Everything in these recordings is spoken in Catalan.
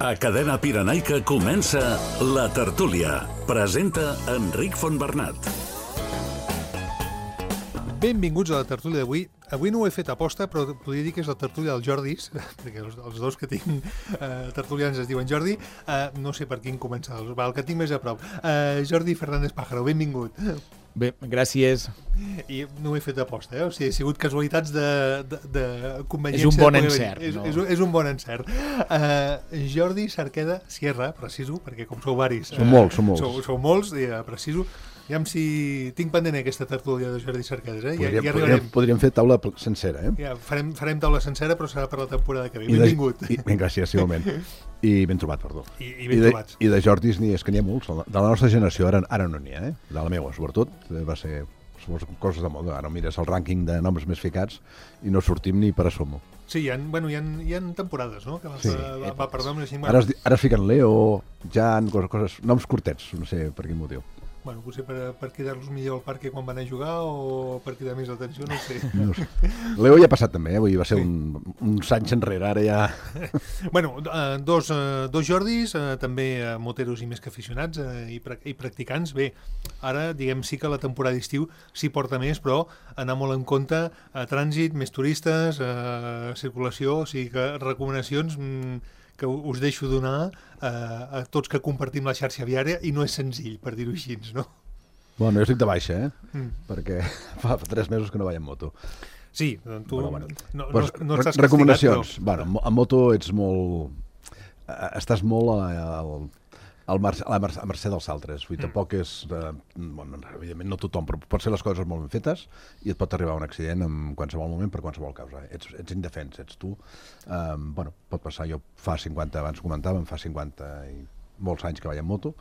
A Cadena Pirenaica comença La Tertúlia. Presenta Enric Fontbernat. Benvinguts a la tertúlia d'avui. Avui no ho he fet a posta, però podria dir que és la tertúlia dels Jordis, perquè els dos que tinc tertulians es diuen Jordi. No sé per quin començar, el que tinc més a prop. Jordi Fernández Pájaro, benvingut. Bé, gràcies. I no ho he fet a posta, O sigui, ha sigut casualitats de conveniència. És un bon encert. És un bon encert. Jordi Cerqueda Sierra, preciso, perquè com sou varis... Som molts. Sou molts, preciso. Aviam si tinc pendent aquesta tertúlia de Jordi Cerquedes, Ja arribarem. Podríem fer taula sencera, Ja, farem taula sencera, però serà per la temporada que ve. Benvingut. Ben, gràcies, igualment. I ben trobat, perdó. I ben trobats. I de Jordis és que n'hi ha molts. De la nostra generació ara no n'hi ha, De la meva, sobretot. Va ser coses de moda. Ara mires el rànquing de noms més ficats i no sortim ni per assomo. Sí, hi ha temporades, no? Que va per noms així. Ara es fiquen Leo, Jan, coses, noms curtets, no sé per quin motiu. Bueno, potser per quedar-los millor al parc quan van a jugar o per cridar més l'atenció, no ho sé. No sé. Leo ja ha passat també, Vull dir, va ser uns anys enrere, ara ja... Bueno, dos Jordis, també moteros i més que aficionats i practicants. Bé, ara diguem sí que la temporada d'estiu s'hi porta més, però anar molt en compte trànsit, més turistes, circulació, o sigui que recomanacions que us deixo donar a tots que compartim la xarxa viària i no és senzill, per dir-ho així, no? Bueno, jo estic de baixa, perquè fa 3 mesos que no vaig en moto. Sí, tu no estàs recomanacions. Castigat, però... Bueno, en moto ets molt... Estàs molt a mercè dels altres. Vull dir, tampoc és... Bueno, evidentment no tothom, però pot ser les coses molt ben fetes i et pot arribar un accident en qualsevol moment per qualsevol causa. Ets indefens, ets tu. Bueno, pot passar. Jo abans comentàvem, fa 50 i molts anys que vaig en moto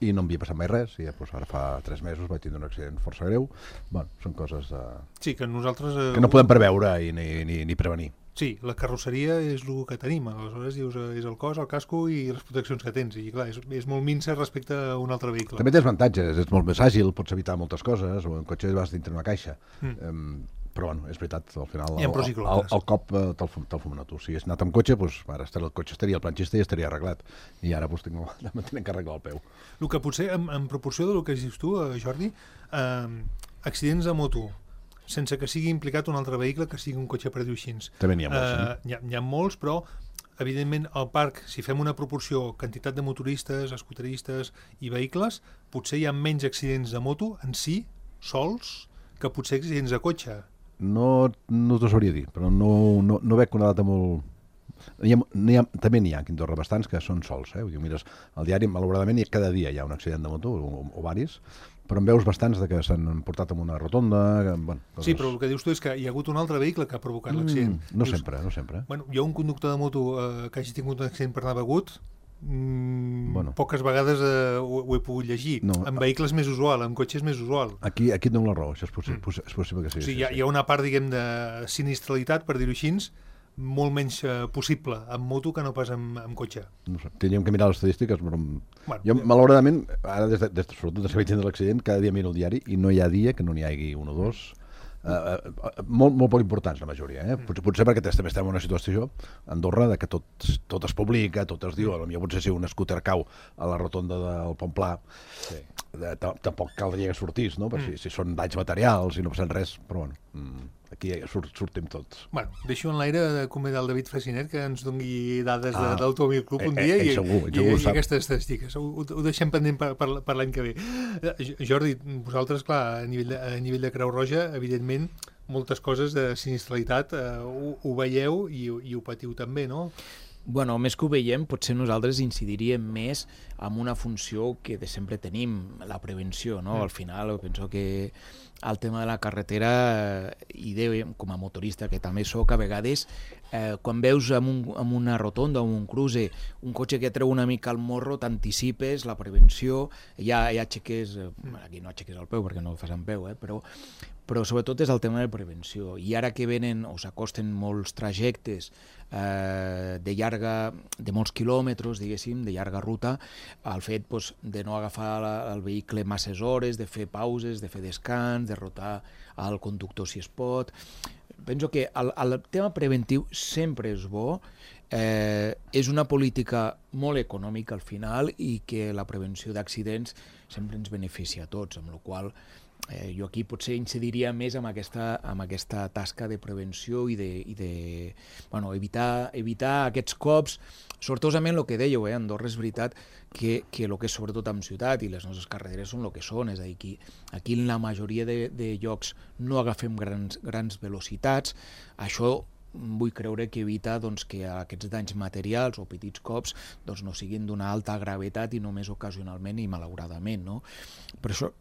i no em havia passat mai res, i ara fa 3 mesos vaig tindre un accident força greu. Bueno, són coses sí, que nosaltres... que no podem preveure ni prevenir. Sí, la carrosseria és el que tenim, aleshores dius, és el cos, el casco i les proteccions que tens, i clar, és molt minsa respecte a un altre vehicle. També tens avantatges, ets molt més àgil, pots evitar moltes coses, o en cotxe vas dintre una caixa. Però bueno, és veritat, al final el cop te'l fumen a tu. Si hagués anat amb cotxe, doncs ara el cotxe estaria al planxista i estaria arreglat, i ara doncs tinc que arreglar el peu. El que potser, en proporció del que dius tu, Jordi, accidents de moto, sense que sigui implicat un altre vehicle, que sigui un cotxe, per dir-ho així. També n'hi ha molts. N'hi ha molts, però evidentment al parc, si fem una proporció quantitat de motoristes, escooteristes i vehicles, potser hi ha menys accidents de moto en si, sols, que potser accidents de cotxe. No t'ho sabria dir, però no veig una data molt... També n'hi ha a Quindorra bastants que són sols. Mires al diari, malauradament, cada dia hi ha un accident de moto, o varis, però en veus bastants que s'han portat en una rotonda... Sí, però el que dius tu és que hi ha hagut un altre vehicle que ha provocat l'accident. No sempre. Bueno, jo, un conductor de moto que hagi tingut un accident per anar begut, poques vegades ho he pogut llegir. En vehicles més usual, en cotxes més usual. Aquí et dono la raó, això és possible que sí. O sigui, hi ha una part, diguem, de sinistralitat, per dir-ho així, molt menys possible amb moto que no pas amb cotxe. No sé, tindríem que mirar les estadístiques, però jo, malauradament, ara sobretot des que vaig tindre l'accident, cada dia miro el diari i no hi ha dia que no n'hi hagi un o dos, molt poc importants la majoria. Potser perquè també estem en una situació a Andorra de que tot es publica, tot es diu, potser si un scooter cau a la rotonda del Pont Pla, tampoc caldria que sortís, no? Si són danys materials i no passa res, però bueno, aquí sortim tots. Bueno, deixo en l'aire de convidar el David Fresinet que ens doni dades d'Automòbil Club un dia i aquestes estadístiques. Ho deixem pendent per l'any que ve. Jordi, vosaltres, clar, a nivell de Creu Roja, evidentment, moltes coses de sinistralitat ho veieu i ho patiu també, no? Bueno, més que ho veiem, potser nosaltres incidiríem més en una funció que de sempre tenim, la prevenció, no? Al final, penso que el tema de la carretera, i com a motorista que també soc, a vegades, quan veus en una rotonda o en un cruce un cotxe que treu una mica el morro, t'anticipes la prevenció, ja aixeques, aquí no aixeques el peu perquè no ho fas amb peu, però sobretot és el tema de prevenció. I ara que venen o s'acosten molts trajectes de molts quilòmetres, diguéssim, de llarga ruta, el fet de no agafar el vehicle masses hores, de fer pauses, de fer descans, de rotar al conductor si es pot. Penso que el tema preventiu sempre és bo, és una política molt econòmica al final i que la prevenció d'accidents sempre ens beneficia a tots, amb la qual jo aquí potser incidiria més en aquesta tasca de prevenció i evitar aquests cops. Sortosament el que dèieu, Andorra és veritat que el que és sobretot en ciutat i les nostres carreteres són el que són, és a dir, aquí en la majoria de llocs no agafem grans velocitats, això vull creure que evita que aquests danys materials o petits cops no siguin d'una alta gravetat i només ocasionalment i malauradament. Per això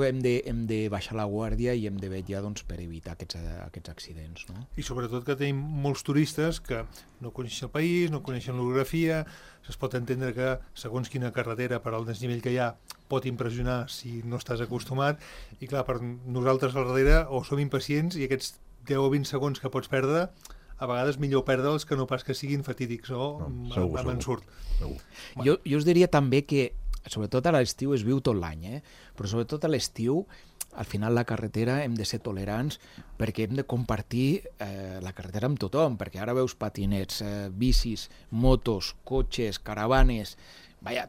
hem de baixar la guàrdia i hem de vetllar per evitar aquests accidents. I sobretot que tenim molts turistes que no coneixen el país, no coneixen l'orografia, es pot entendre que segons quina carretera per al desnivell que hi ha pot impressionar si no estàs acostumat i clar, per nosaltres al darrere o som impacients i aquests 10 o 20 segons que pots perdre, a vegades millor perdre'ls que no pas que siguin fatídics amb ensurt. Jo us diria també que sobretot a l'estiu es viu tot l'any, però sobretot a l'estiu al final la carretera hem de ser tolerants perquè hem de compartir la carretera amb tothom, perquè ara veus patinets, bicis, motos, cotxes, caravanes,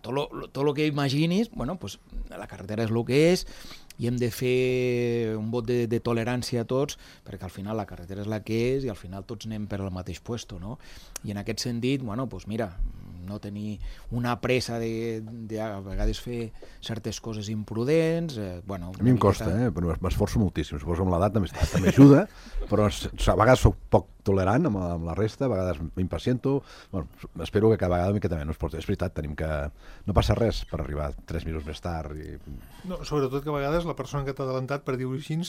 tot el que imaginis, la carretera és el que és i hem de fer un vot de tolerància a tots perquè al final la carretera és la que és i al final tots anem per al mateix puesto, no? I en aquest sentit, mira, no tenir una pressa de a vegades fer certes coses imprudents. A mi em costa, però m'esforço moltíssim. Suposo que amb l'edat també ajuda, però a vegades soc poc tolerant amb la resta, a vegades m'impaciento. Espero que cada vegada una miqueta menys. És veritat, tenim que... No passa res per arribar 3 minuts més tard. No, sobretot que a vegades la persona que t'ha adelantat, per dir-ho així,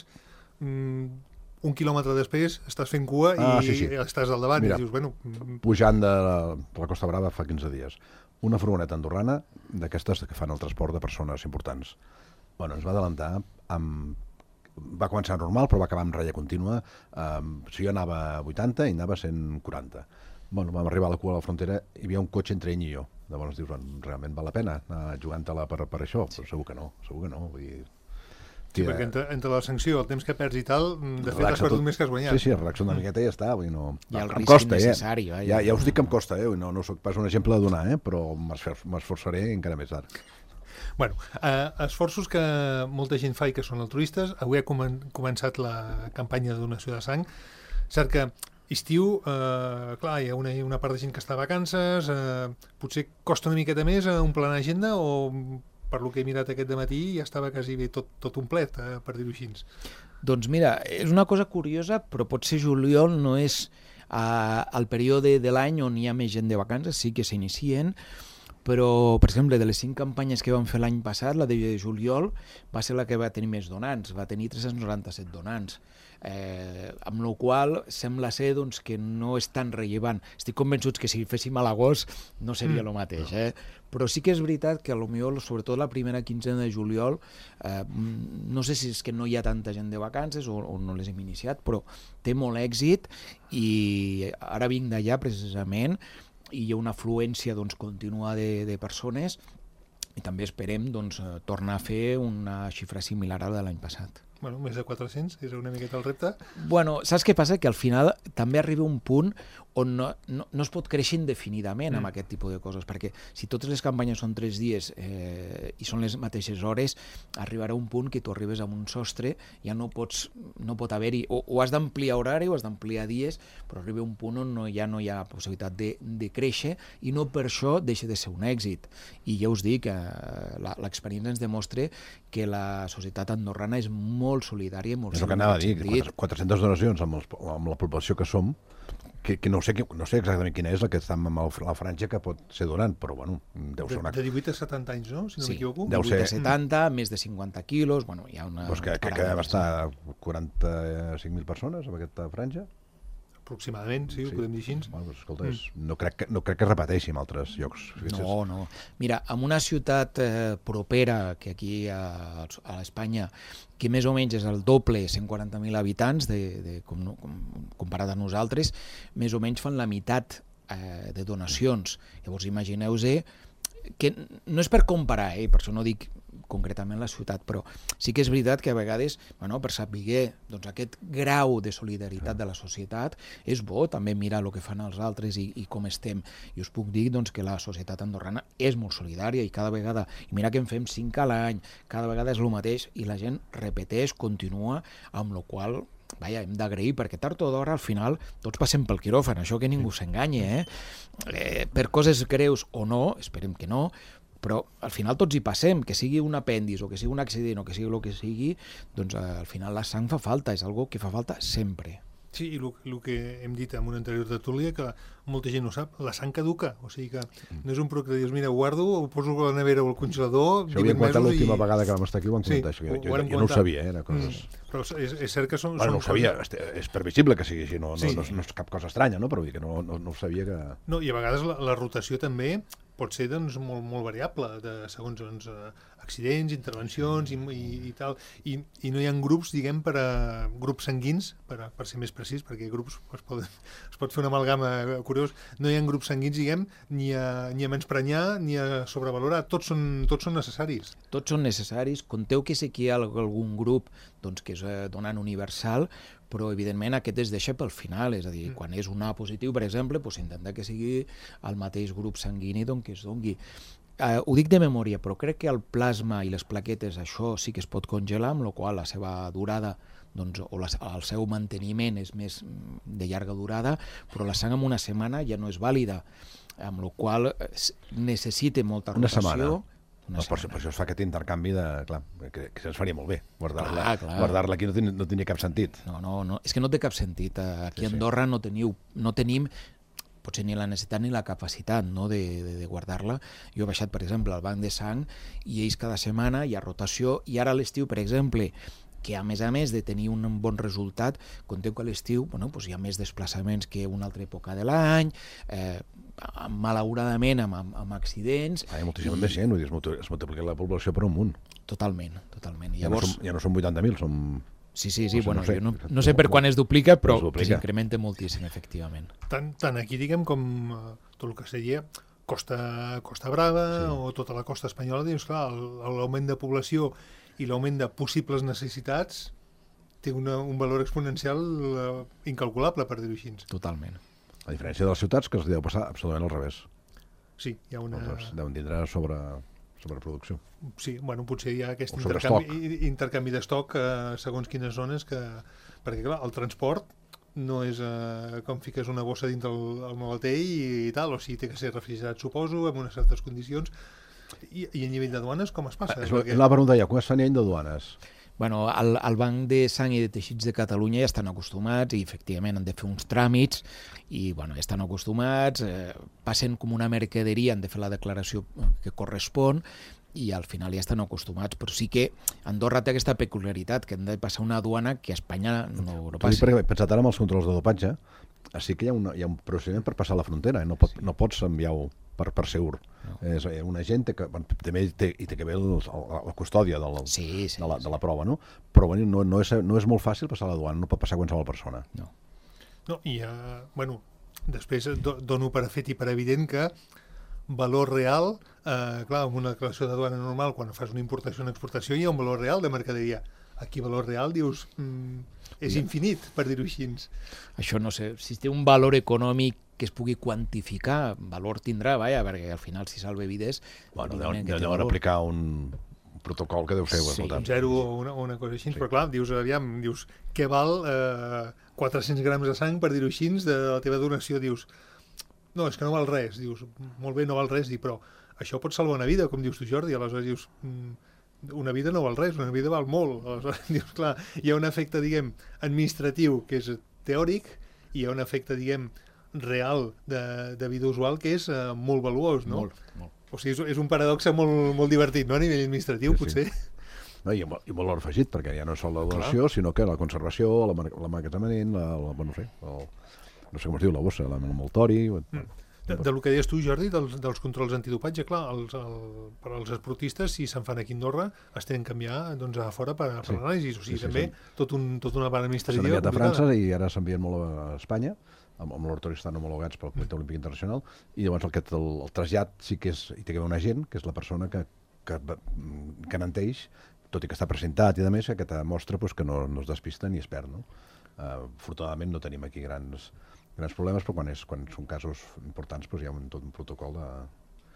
un quilòmetre després estàs fent cua i estàs al davant. Mira, i dius, pujant de la Costa Brava fa 15 dies, una furgoneta andorrana d'aquestes que fan el transport de persones importants. Ens va adelantar va començar normal, però va acabar amb ratlla contínua. Si jo anava a 80, ell anava a 140. Vam arribar a la cua de la frontera i hi havia un cotxe entre ell i jo. Llavors dius, realment val la pena anar jugant-te-la per això? Però segur que no. Vull dir... Sí, perquè entre la sanció, el temps que perds i tal, de fet has perdut més que has guanyat. Sí, relaxa una miqueta i ja està. I el risc innecessari. Ja us dic que em costa, no soc pas un exemple a donar, però m'esforçaré encara més ara. Esforços que molta gent fa i que són altruistes. Avui ha començat la campanya de donació de sang. Cert que estiu, clar, hi ha una part de gent que està a vacances, potser costa una miqueta més omplir l'agenda o... Per lo que he mirat aquest dematí ja estava quasi bé tot omplet, per dir-ho així. Doncs mira, és una cosa curiosa, però potser juliol no és el període de l'any on hi ha més gent de vacances, sí que s'inicien, però, per exemple, de les 5 campanyes que vam fer l'any passat, la de juliol va ser la que va tenir més donants, va tenir 397 donants, amb la qual sembla ser que no és tan rellevant. Estic convençut que si féssim a l'agost no seria el mateix, però sí que és veritat que potser, sobretot la primera quinzena de juliol, no sé si és que no hi ha tanta gent de vacances o no les hem iniciat, però té molt èxit i ara vinc d'allà precisament i hi ha una afluència contínua de persones i també esperem tornar a fer una xifra similar a la de l'any passat. Més de 400, és una miqueta el repte. Saps què passa? Que al final també arriba un punt on no es pot créixer indefinidament amb aquest tipus de coses, perquè si totes les campanyes són 3 dies i són les mateixes hores, arribarà un punt que tu arribes a un sostre, ja no pot haver-hi, o has d'ampliar horari o has d'ampliar dies, però arriba un punt on ja no hi ha possibilitat de créixer i no per això deixa de ser un èxit. I ja us dic, l'experiència ens demostra que la societat andorrana és molt solidària. És el que anava a dir, 400 donacions amb la població que som, que no sé exactament quina és la que està amb la franja que pot ser donant, però deu ser una... De 18 a 70 anys, no? Si no m'equivoco. 18 a 70, més de 50 quilos, hi ha una... Doncs que va estar 45.000 persones en aquesta franja? Aproximadament, sí, ho podem dir així. Escolta, no crec que es repeteixi en altres llocs. No. Mira, en una ciutat propera, que aquí a Espanya, que més o menys és el doble, 140.000 habitants, comparat a nosaltres, més o menys fan la meitat de donacions. Llavors, imagineu-vos que no és per comparar, per això no dic concretament la ciutat, però sí que és veritat que a vegades, per saber doncs, aquest grau de solidaritat de la societat, és bo també mirar el que fan els altres i com estem. I us puc dir doncs, que la societat andorrana és molt solidària i cada vegada, i mira que en fem 5 a l'any, cada vegada és el mateix i la gent repeteix, continua, amb la qual hem d'agrair, perquè tard o d'hora al final tots passem pel quiròfan, això que ningú s'enganyi, per coses greus o no, esperem que no, però al final tots hi passem, que sigui un apèndix o que sigui un accident o que sigui el que sigui, doncs al final la sang fa falta, és algo que fa falta sempre. Sí, i el que hem dit en una anterior tertúlia, que molta gent no sap, la sang caduca, o sigui que no és un producte que dius, mira, ho guardo, ho poso a la nevera o al congelador, 18 mesos i... Això ho havia l'última vegada que vam estar aquí, ho vam comentar, jo no ho sabia, era coses... Però és cert que són... No ho sabia, és previsible que sigui així, no és cap cosa estranya, no? Però vull dir que no ho sabia que... No, i a vegades la rotació també pot ser doncs, molt variable, segons accidents, intervencions i tal, i no hi ha grups, diguem, grups sanguins, per ser més precís, perquè grups es pot fer una amalgama curiós, no hi ha grups sanguins, diguem, ni a menysprenyar ni a sobrevalorar, tots són necessaris. Tots són necessaris, conteu que sí que hi ha algun grup doncs, que és donant universal, però evidentment aquest es deixa pel final, és a dir, quan és un A positiu, per exemple, s'intenta que sigui el mateix grup sanguini que es dongui. Ho dic de memòria, però crec que el plasma i les plaquetes, això sí que es pot congelar, amb la qual la seva durada o el seu manteniment és més de llarga durada, però la sang en una setmana ja no és vàlida, amb la qual necessita molta rotació. Una setmana. Per això es fa aquest intercanvi que ens faria molt bé. Guardar-la aquí no tenia cap sentit. No, és que no té cap sentit. Aquí a Andorra no tenim potser ni la necessitat ni la capacitat de guardar-la. Jo he baixat, per exemple, al banc de sang i ells cada setmana hi ha rotació i ara a l'estiu, per exemple, que a més de tenir un bon resultat, conteu que a l'estiu hi ha més desplaçaments que una altra època de l'any, malauradament amb accidents. Hi ha moltíssima més gent, es multiplica la població per un munt. Totalment. Llavors, ja no són 80.000, som... Sí, jo no sé per quan es duplica, però que s'incrementa moltíssim, efectivament. Tant aquí, diguem, com tot el que seria Costa Brava o tota la costa espanyola, dius, clar, l'augment de població i l'augment de possibles necessitats té un valor exponencial incalculable, per dir-ho així. Totalment. A diferència de les ciutats, que es deu passar absolutament al revés. Sí, hi ha una... Deuen tindre sobreproducció. Sí, potser hi ha aquest intercanvi d'estoc segons quines zones, perquè clar, el transport no és com fiques una bossa dintre el maletell i tal, o sigui, té que ser refrigerat, suposo, en unes certes condicions. I a nivell de duanes com es passa? La pregunta ja, com es fa a nivell de duanes? Al Banc de Sang i de Teixits de Catalunya ja estan acostumats i efectivament han de fer uns tràmits i ja estan acostumats, passen com una mercaderia, han de fer la declaració que correspon i al final ja estan acostumats, però sí que Andorra té aquesta peculiaritat que han de passar una aduana que a Espanya no passa. Perquè he pensat ara amb els controls de dopatge, sí que hi ha un procediment per passar la frontera, no pots enviar-ho per segur. És un agent que també té que veure la custòdia de la prova, no? Però no és molt fàcil passar la duana, no pot passar qualsevol persona. No, i després dono per fet i per evident que valor real, clar, amb una declaració de duana normal, quan fas una importació o una exportació hi ha un valor real de mercaderia. Aquí valor real, dius, és infinit, per dir-ho així. Això no sé, si té un valor econòmic que es pugui quantificar, valor tindrà, perquè al final si salva vides... Deuen aplicar un protocol que deu ser... Un zero o una cosa així, però clar, dius, què val 400 grams de sang, per dir-ho així, de la teva donació, dius, no, és que no val res, dius, molt bé, no val res, però això pot salvar una vida, com dius tu, Jordi, aleshores dius... Una vida no val res, una vida val molt. Aleshores, dius, clar, hi ha un efecte, diguem, administratiu, que és teòric, i hi ha un efecte, diguem, real de vida usual, que és molt valuós, no? Molt. O sigui, és un paradoxe molt divertit, no?, a nivell administratiu, potser. No, i valor afegit, perquè ja no és sol la donació, sinó que la conservació, l'emmagatzemament, no sé com es diu, la bossa, l'envoltori... Del que deies tu, Jordi, dels controls antidopatge, clar, per als esportistes, si se'n fan aquí a Andorra, es tenen que enviar a fora per l'anàlisi. O sigui, també tot una part administrativa... S'han enviat a França i ara s'envien molt a Espanya, amb laboratoris estan homologats pel Comitè Olímpic Internacional, i llavors el trasllat sí que és, hi té que haver un agent, que és la persona que garanteix, tot i que està presentat i a més, aquesta mostra que no es despista ni es perd. Afortunadament no tenim aquí grans problemes, però quan són casos importants hi ha tot un protocol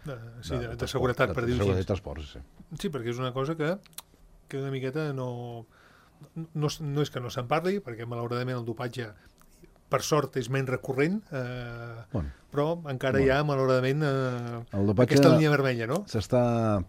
de seguretat, per dir-ho així. De transport, sí. Sí, perquè és una cosa que una miqueta no és que no se'n parli, perquè malauradament el dopatge per sort és menys recurrent, però encara hi ha, malauradament, aquesta línia vermella, no?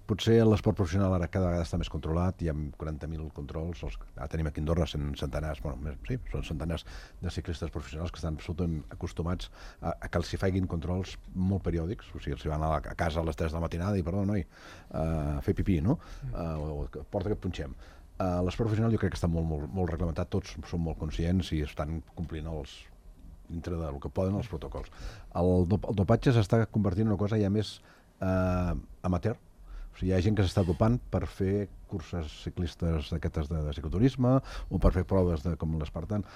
Potser l'esport professional ara cada vegada està més controlat, hi ha 40.000 controls, ara tenim aquí a Andorra centenars, són centenars de ciclistes professionals que estan absolutament acostumats a que els hi facin controls molt periòdics, o sigui, els hi van a casa a les 3 de la matinada i, perdó, noi, a fer pipí, no? Porta que et punxem. L'esport professional jo crec que està molt reglamentat, tots són molt conscients i estan complint dintre del que poden els protocols. El dopatge s'està convertint en una cosa ja més amateur. O sigui, hi ha gent que s'està dopant per fer curses ciclistes d'aquestes de cicloturisme o per fer proves com l'Espartan.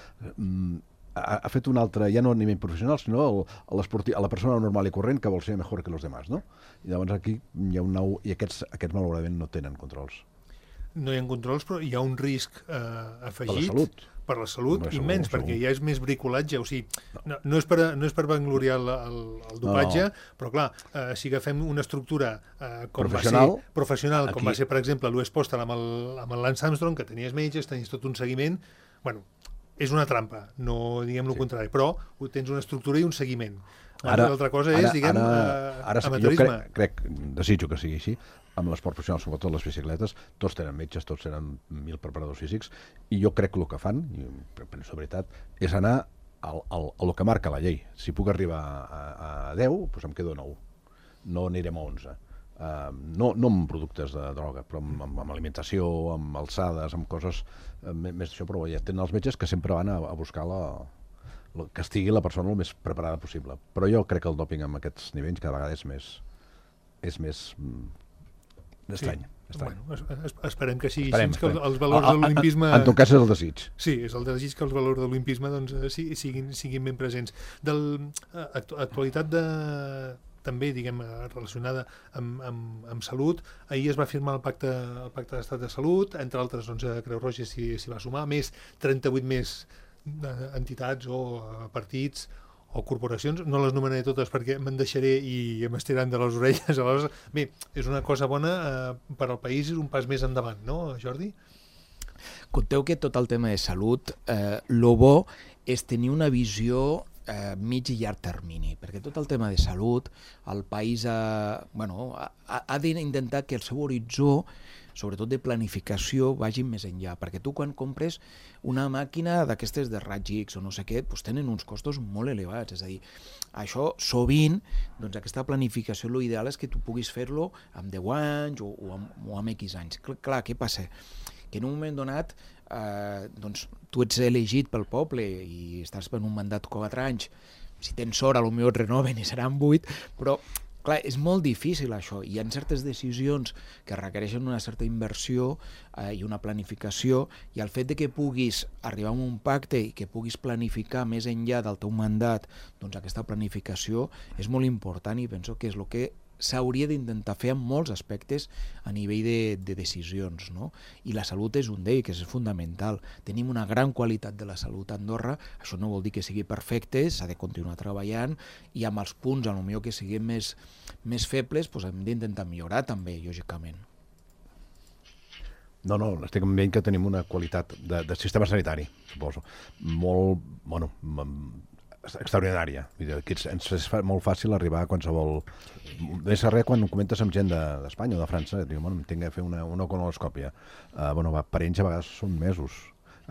Ha fet un altre, ja no a nivell professional, sinó a la persona normal i corrent que vol ser millor que els demás, no? I llavors aquí hi ha un nou... I aquests malauradament no tenen controls. No hi ha controls, però hi ha un risc afegit per la salut immens, perquè ja és més bricolatge, o sigui, no és per vangloriar el dopatge, però clar, si agafem una estructura professional, com va ser, per exemple, l'US Postal amb el Lance Armstrong, que tenies metges, tenies tot un seguiment, bueno, és una trampa, no diguem el contrari, però tens una estructura i un seguiment. L'altra cosa és, diguem, amateurisme. Jo desitjo que sigui així, amb l'esport professional, sobretot les bicicletes, tots tenen metges, tots tenen 1.000 preparadors físics, i jo crec que el que fan, i penso veritat, és anar al que marca la llei. Si puc arribar a 10, doncs em quedo a 9. No anirem a 11. No amb productes de droga, però amb alimentació, amb alçades, amb coses més d'això, però ja tenen els metges que sempre van a buscar que estigui la persona el més preparada possible. Però jo crec que el dòping amb aquests nivells cada vegada és més estrany. Bueno, esperem que sigui així, que els valors de l'olimpisme... En tot cas és el desig. Sí, és el desig que els valors de l'olimpisme siguin ben presents. Actualitat també, diguem, relacionada amb salut, ahir es va firmar el pacte d'estat de salut, entre altres, Creu Roja s'hi va sumar, més 38 més entitats o partits o corporacions, no les nomenaré totes perquè me'n deixaré i m'estiran de les orelles. Aleshores, bé, és una cosa bona per al país, és un pas més endavant, no, Jordi? Conteu que tot el tema de salut, lo bo és tenir una visió mig i llarg termini, perquè tot el tema de salut, el país ha d'intentar que el seu horitzó, sobretot de planificació, vagi més enllà, perquè tu quan compres una màquina d'aquestes de raig X o no sé què, doncs tenen uns costos molt elevats, és a dir, això sovint, doncs aquesta planificació, l'ideal és que tu puguis fer-lo amb 10 anys o amb X anys. Clar, què passa? Que en un moment donat doncs tu ets elegit pel poble i estàs per un mandat 4 anys, si tens sort potser et renoven i seran 8, però clar, és molt difícil això, hi ha certes decisions que requereixen una certa inversió i una planificació, i el fet de que puguis arribar a un pacte i que puguis planificar més enllà del teu mandat, doncs aquesta planificació és molt important i penso que és el que s'hauria d'intentar fer en molts aspectes a nivell de decisions, no? I la salut és un d'ells, que és fundamental. Tenim una gran qualitat de la salut a Andorra, això no vol dir que sigui perfecte, s'ha de continuar treballant, i amb els punts potser que siguin més febles doncs hem d'intentar millorar també, lògicament. No, estic veient que tenim una qualitat de sistema sanitari, suposo, molt, extraordinària. Ens és molt fàcil arribar a qualsevol... Més que res, quan ho comentes amb gent d'Espanya o de França, diu, em tinc que fer una colonoscòpia. Per ells a vegades són mesos.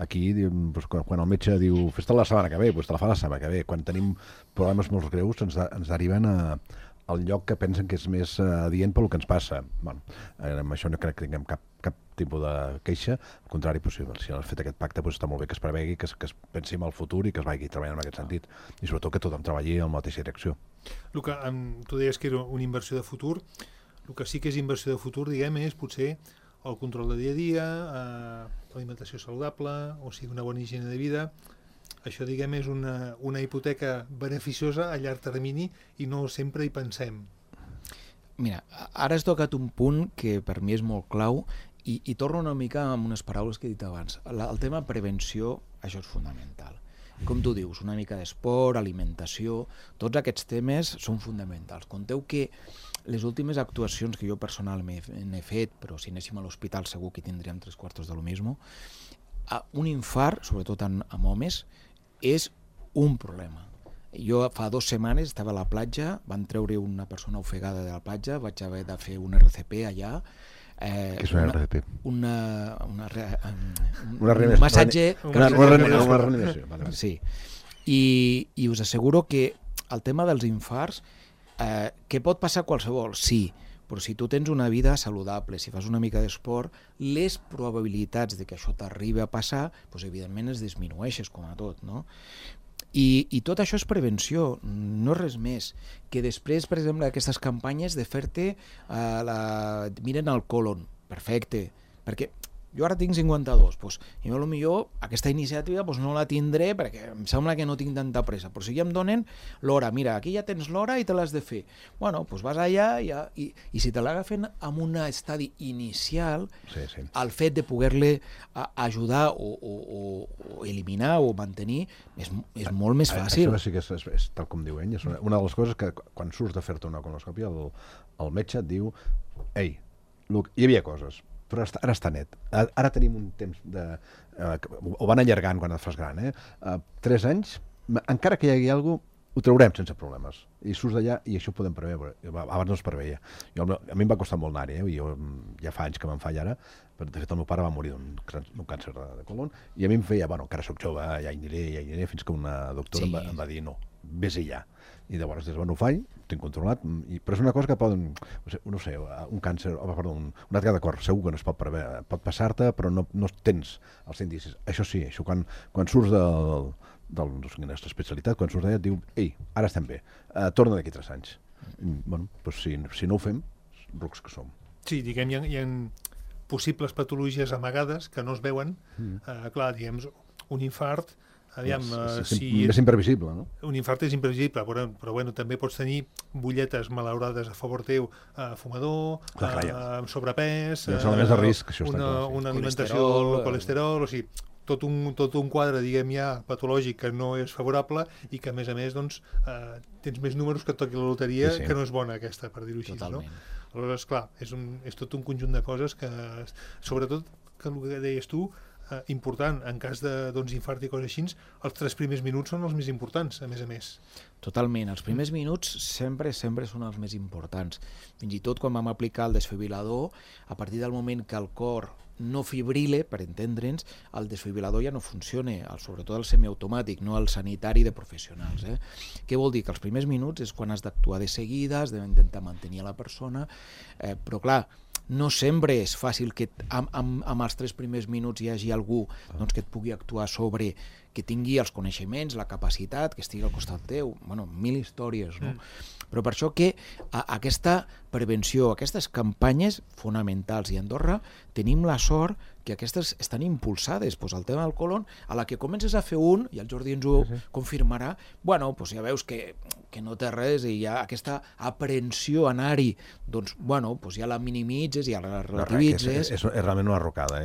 Aquí, quan el metge diu fes-te la setmana que ve, doncs te la fa la setmana que ve. Quan tenim problemes molt greus ens deriven al lloc que pensen que és més adient pel que ens passa. Amb això no crec que tinguem cap tipus de queixa, al contrari, si has fet aquest pacte està molt bé que es prevegui, que es pensi en el futur i que es vagi treballant en aquest sentit, i sobretot que tothom treballi en la mateixa direcció. Luca, tu deies que era una inversió de futur, el que sí que és inversió de futur, diguem, és potser el control de dia a dia, l'alimentació saludable, o sigui, una bona higiene de vida. això, diguem, és una hipoteca beneficiosa a llarg termini i no sempre hi pensem. Mira, ara has tocat un punt que per mi és molt clau i torno una mica amb unes paraules que he dit abans. El tema prevenció, això és fonamental. Com tu dius, una mica d'esport, alimentació, tots aquests temes són fonamentals. Conteu que les últimes actuacions que jo personalment he fet, però si anéssim a l'hospital segur que tindríem 3/4 de lo mismo, un infart, sobretot amb homes, és un problema. Jo fa 2 setmanes estava a la platja, van treure una persona ofegada de la platja, vaig haver de fer un RCP allà. Què és un RCP? Un massatge... Una reanimació. Sí. I us asseguro que el tema dels infarts, que pot passar qualsevol, sí, però si tu tens una vida saludable, si fas una mica d'esport, les probabilitats de que això t'arribi a passar, doncs evidentment es disminueixes, com a tot, no? I tot això és prevenció, no és res més. Que després, per exemple, aquestes campanyes de fer-te miren el colon, perfecte, perquè jo ara tinc 52, doncs, i potser aquesta iniciativa no la tindré perquè em sembla que no tinc tanta pressa, però si ja em donen l'hora, mira, aquí ja tens l'hora i te l'has de fer. Bueno, doncs vas allà i si te l'agafen en un estadi inicial, el fet de poder-le ajudar o eliminar o mantenir és molt més fàcil. Això sí que és tal com diu ell, és una de les coses que quan surts de fer-te una colonoscòpia el metge et diu, ei, Luc, hi havia coses, però ara està net. Ara tenim un temps ho van allargant quan et fas gran, 3 anys, encara que hi hagi alguna cosa, ho traurem sense problemes. I surts d'allà i això ho podem preveure. Abans no es preveia. A mi em va costar molt anar-hi, i jo ja fa anys que me'n faig ara. De fet, el meu pare va morir d'un càncer de colon, i a mi em feia, encara soc jove, ja hi aniré, fins que una doctora em va dir, no, vés-hi ja. I llavors, ho faig, ho tinc controlat, però és una cosa que poden, no sé, un càncer, un atac de cor, segur que no es pot preveure, pot passar-te, però no tens els indicis. Això sí, quan surts no sé quina és l'especialitat, quan surts d'allà et diu, ei, ara estem bé, torna d'aquí 3 anys. Si no ho fem, rucs que som. Sí, diguem, hi ha possibles patologies amagades que no es veuen. Clar, diguem, un infart, és imprevisible, no? Un infart és imprevisible, però també pots tenir butlletes malaurades a favor teu, fumador, sobrepès, una alimentació, colesterol, o sigui, tot un quadre, diguem, ja patològic que no és favorable i que, a més, tens més números que et toqui la loteria, que no és bona aquesta, per dir-ho així, no? Aleshores, clar, és tot un conjunt de coses que, sobretot, que el que deies tu, important, en cas d'infart i coses així, els 3 primers minuts són els més importants, a més. Totalment, els primers minuts sempre són els més importants. Fins i tot quan vam aplicar el desfibrilador, a partir del moment que el cor no fibrile, per entendre'ns, el desfibrilador ja no funciona, sobretot el semiautomàtic, no el sanitari de professionals. Què vol dir? Que els primers minuts és quan has d'actuar de seguida, has d'intentar mantenir la persona, però clar, no sempre és fàcil que amb els 3 primers minuts hi hagi algú que et pugui actuar sobre, que tingui els coneixements, la capacitat, que estigui al costat teu, 1000 històries, no? Però per això que aquesta prevenció, aquestes campanyes fonamentals, i a Andorra tenim la sort que aquestes estan impulsades. El tema del colon, a la que comences a fer i el Jordi ens ho confirmarà, ja veus que no té res i hi ha aquesta aprensió a anar-hi, ja la minimitzes, ja la relativitzes. És realment una rocada,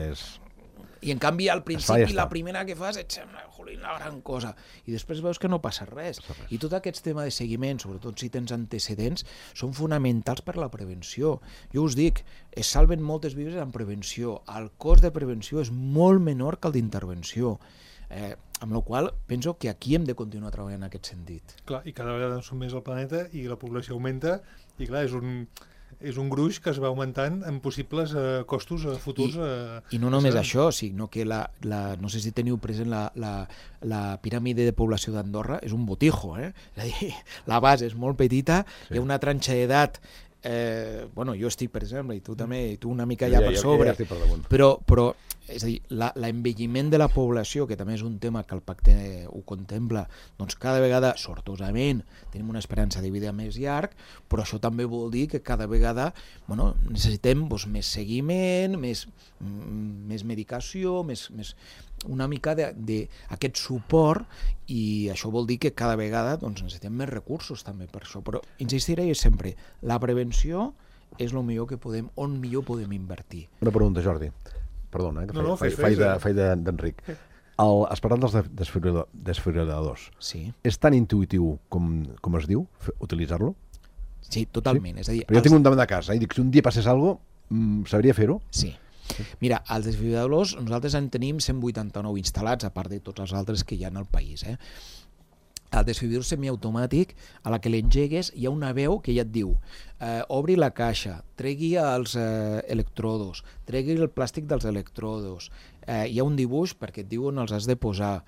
I en canvi al principi la primera que fas et sembla una gran cosa i després veus que no passa res. I tot aquest tema de seguiment, sobretot si tens antecedents, són fonamentals per la prevenció. Jo us dic, es salven moltes vides en prevenció. El cost de prevenció és molt menor que el d'intervenció. Amb la qual cosa penso que aquí hem de continuar treballant en aquest sentit. Clar, i cada vegada som més al planeta i la població augmenta i clar, és un gruix que es va augmentant en possibles costos futurs. I no només això, sinó que no sé si teniu present la piràmide de població d'Andorra, és un botijo, És a dir, la base és molt petita, hi ha una tranxa d'edat, jo estic, per exemple, i tu també, i tu una mica allà per sobre, però és a dir, l'envelliment de la població, que també és un tema que el pacte ho contempla, cada vegada, sortosament, tenim una esperança de vida més llarg, però això també vol dir que cada vegada necessitem més seguiment, més medicació, més una mica d'aquest suport, i això vol dir que cada vegada necessitem més recursos també per això, però insistiré sempre, la prevenció és el millor que podem, on millor podem invertir. Una pregunta, Jordi. Perdona, que faig d'Enric. Has parlat dels desfibriladors. Sí. És tan intuïtiu com es diu, utilitzar-lo? Sí, totalment. És a dir, però jo tinc un davant de casa, i dic, si un dia passés alguna cosa, sabria fer-ho? Sí. Mira, els desfibriladors, nosaltres en tenim 189 instal·lats, a part de tots els altres que hi ha al país. El desfibrilador semiautomàtic, a la que l'engegues, hi ha una veu que ja et diu obri la caixa, tregui els electrodos, tregui el plàstic dels electrodos, hi ha un dibuix perquè et diu on els has de posar,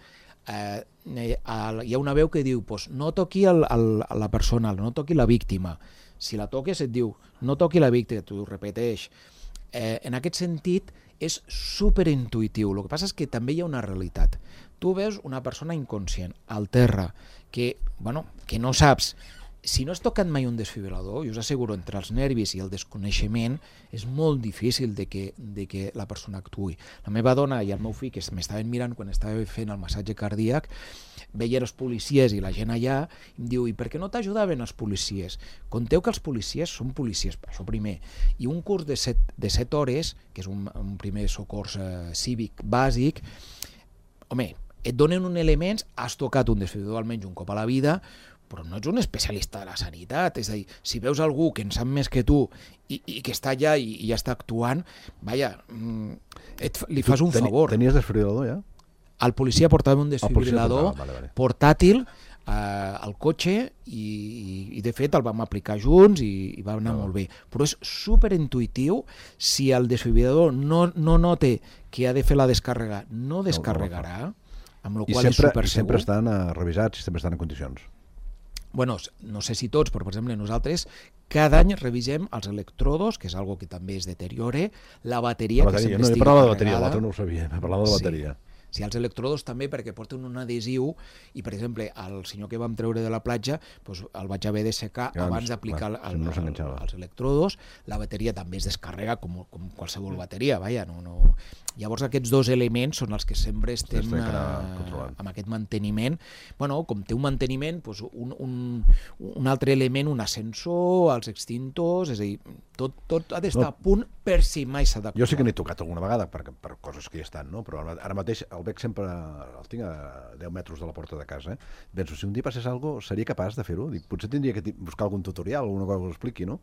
hi ha una veu que diu no toqui la persona, no toqui la víctima, si la toques et diu no toqui la víctima, t'ho repeteix. En aquest sentit és superintuïtiu. El que passa és que també hi ha una realitat. Tu veus una persona inconscient al terra que no saps. Si no has tocat mai un desfibrilador, jo us asseguro, entre els nervis i el desconeixement és molt difícil de que la persona actuï. La meva dona i el meu fill, que m'estaven mirant quan estava fent el massatge cardíac, veien els policies i la gent allà, i em diu, i per què no t'ajudaven els policies? Conteu que els policies són policies, això primer, i un curs de 7 hores, que és un primer socors cívic bàsic, home, et donen un elements, has tocat un desfibrilador almenys un cop a la vida, però no ets un especialista de la sanitat, és a dir, si veus algú que en sap més que tu i que està allà i ja està actuant, li fas un favor. Tenies desfibrilador ja? El policia portava un desfibrilador portàtil al cotxe i de fet el vam aplicar junts i va anar molt bé. Però és superintuïtiu, si el desfibrilador no nota que ha de fer la descàrrega, no descarregarà, amb la qual és supersegur. I sempre estan revisats i sempre estan en condicions. Bueno, no sé si tots, però per exemple nosaltres cada any revisem els electrodos, que és algo que també es deteriora, la bateria que sempre estigui carregada. No, parlava de bateria, l'altre no ho sabia, parlava de bateria. Sí, els electrodos també perquè porten un adhesiu i, per exemple, el senyor que vam treure de la platja el vaig haver de secar abans d'aplicar els electrodos. La bateria també es descarrega com qualsevol bateria, Llavors aquests dos elements són els que sempre estem amb aquest manteniment. Com té un manteniment, un altre element, un ascensor, els extintors, és a dir, tot ha d'estar a punt per si mai s'ha d'actuar. Jo sí que n'he tocat alguna vegada per coses que hi estan, però ara mateix el veig sempre, el tinc a 10 metres de la porta de casa. Penso, si un dia passés alguna cosa, seria capaç de fer-ho? Potser tindria que buscar algun tutorial, alguna cosa que ho expliqui, no?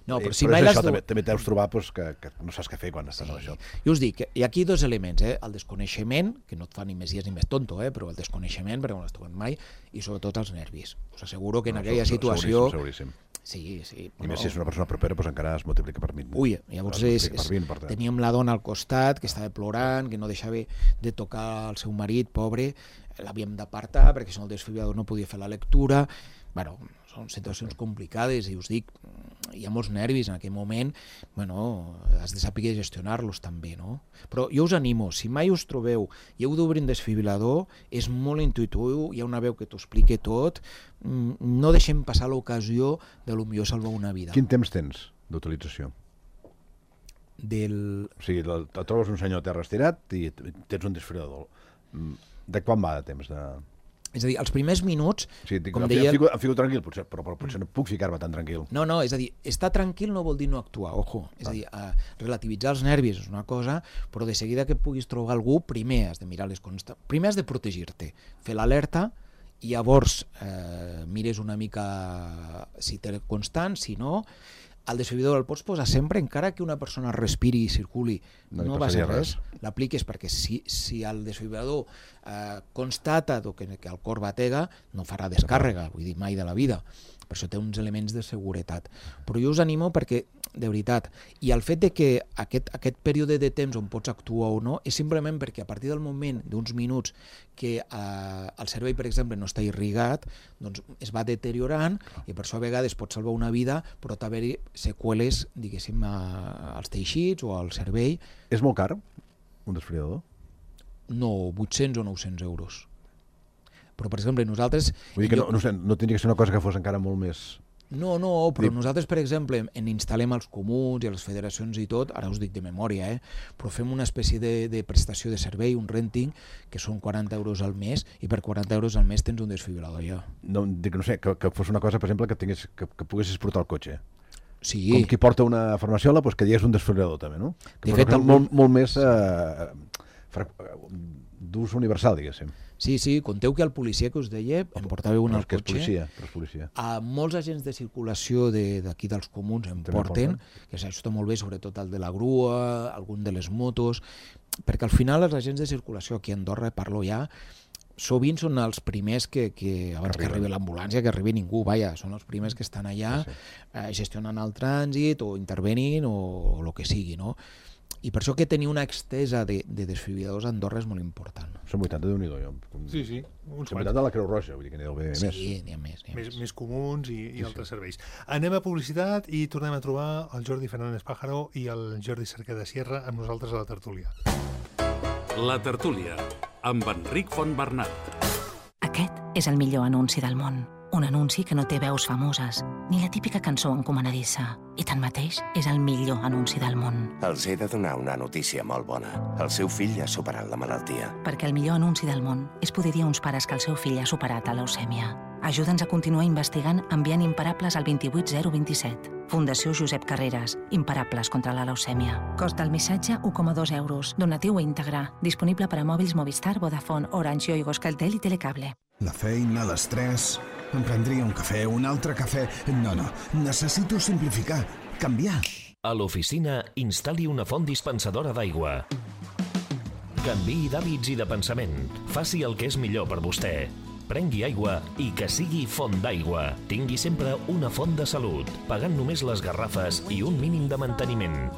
No, però si mai l'has... També deus trobar que no saps què fer quan estàs amb això. Jo us dic, hi ha aquí dos elements, el desconeixement, que no et fa ni més llest ni més tonto, però el desconeixement, perquè no l'has trobat mai, i sobretot els nervis. Us asseguro que en aquella situació... Seguríssim. Sí. I més si és una persona propera, encara es multiplica per 20. Ui, llavors teníem la dona al costat, que estava plorant, que no deixava de tocar el seu marit, pobre, l'havíem d'apartar, perquè si no el desfibrilador no podia fer la lectura. Són situacions complicades i us dic, hi ha molts nervis en aquell moment, has de saber gestionar-los també, no? Però jo us animo, si mai us trobeu i heu d'obrir un desfibrilador, és molt intuïtiu, hi ha una veu que t'ho explica tot, no deixem passar l'ocasió de potser salvar una vida. Quin temps tens d'utilització? O sigui, et trobes un senyor a terra estirat i tens un desfibrilador. De quan va de temps de... És a dir, els primers minuts... Em fico tranquil, però potser no puc ficar-me tan tranquil. No, és a dir, estar tranquil no vol dir no actuar, ojo. És a dir, relativitzar els nervis és una cosa, però de seguida que puguis trobar algú, primer has de mirar les constants. Primer has de protegir-te, fer l'alerta, i llavors mires una mica si té constant, si no... El desfibrilador el pots posar sempre, encara que una persona respiri i circuli, no va ser res. L'apliques perquè si el desfibrilador constata que el cor batega, no farà descàrrega, vull dir, mai de la vida. Per això té uns elements de seguretat. Però jo us animo perquè, de veritat, i el fet de que aquest període de temps on pots actuar o no és simplement perquè a partir del moment d'uns minuts que el cervell, per exemple, no està irrigat, doncs es va deteriorant i per això a vegades pot salvar una vida, però pot haver-hi seqüeles, diguéssim, als teixits o al cervell. És molt car, un desfibrilador? No, 800 o 900 euros. Però, per exemple, nosaltres... Vull dir que no tindria que ser una cosa que fos encara molt més No, però nosaltres, per exemple, en instal·lem als comuns i a les federacions i tot, ara us dic de memòria, però fem una espècie de prestació de servei, un renting, que són 40 euros al mes, i per 40 euros al mes tens un desfibrilador ja. No sé, que fos una cosa, per exemple, que poguessis portar el cotxe. Sí. Com qui porta una farmaciola, doncs que digués un desfibrilador també, no? Que de fet, molt més d'ús universal, diguéssim. Sí, conteu que el policia que us deia em portava un al cotxe. Però és policia. A molts agents de circulació d'aquí dels comuns em porten, que això està molt bé, sobretot el de la grua, algun de les motos, perquè al final els agents de circulació aquí a Andorra, parlo ja, sovint són els primers que abans que arribi l'ambulància, que arribi ningú, són els primers que estan allà gestionant el trànsit o intervenint o el que sigui, no? I per això que tenir una extesa de desfibriladors a Andorra és molt important. Són 80 de Déu-n'hi-do. Sí. Uns 80 de la Creu Roja, vull dir que n'hi ha d'haver més. Sí, n'hi ha més. Més comuns i altres serveis. Anem a publicitat i tornem a trobar el Jordi Fernández Pájaro i el Jordi Cerqueda Sierra amb nosaltres a la tertúlia. La tertúlia, amb Enric Fontbernat. Aquest és el millor anunci del món. Un anunci que no té veus famoses, ni la típica cançó encomanadissa. I tanmateix és el millor anunci del món. Els he de donar una notícia molt bona. El seu fill ha superat la malaltia. Perquè el millor anunci del món és poder dir a uns pares que el seu fill ha superat la leucèmia. Ajuda'ns a continuar investigant enviant Imparables al 28027. Fundació Josep Carreras. Imparables contra la leucèmia. Cost del missatge 1,2 euros. Donatiu íntegre. Disponible per a mòbils Movistar, Vodafone, Orange, Yoigo, Euskaltel i Telecable. La feina, l'estrès... Em prendria un cafè, un altre cafè... No, necessito simplificar, canviar. A l'oficina, instal·li una font dispensadora d'aigua. Canviï d'hàbits i de pensament. Faci el que és millor per vostè. Prengui aigua i que sigui font d'aigua. Tingui sempre una font de salut, pagant només les garrafes i un mínim de manteniment.